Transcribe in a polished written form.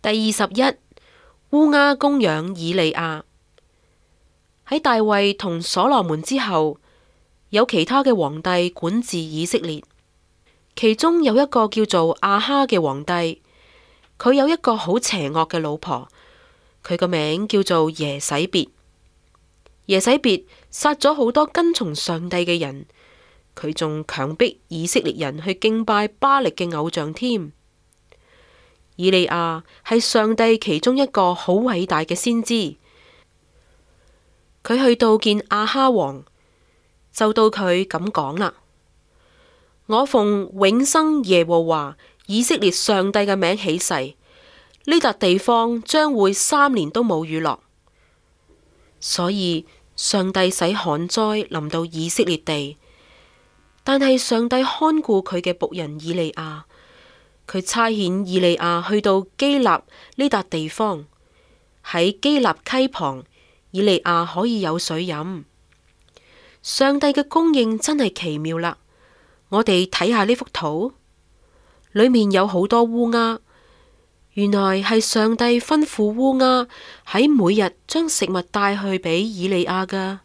第21，烏鴉供養以利亞。喺大衛同所羅門之後，有其他嘅皇帝管治以色列，其中有一個叫做亞哈嘅皇帝，佢有一個好邪惡嘅老婆，佢個名叫做耶洗別。耶洗別殺咗好多跟從上帝嘅人，佢仲強迫以色列人去敬拜巴力嘅偶像添。以利亞係上帝其中一個好偉大嘅先知，佢去到見亞哈王，就到佢咁講啦：我奉永生耶和華以色列上帝嘅名起誓，呢笪地方將會3年都冇雨落。所以上帝使旱災臨到以色列地，但係上帝看顧佢嘅僕人以利亞。佢差遣以利亞去到基納呢笪地方，喺基納溪旁，以利亞可以有水飲。上帝嘅供應真係奇妙啦！我哋睇下呢幅圖，裏面有好多烏鴉，原來係上帝吩咐烏鴉喺每日將食物帶去俾以利亞噶。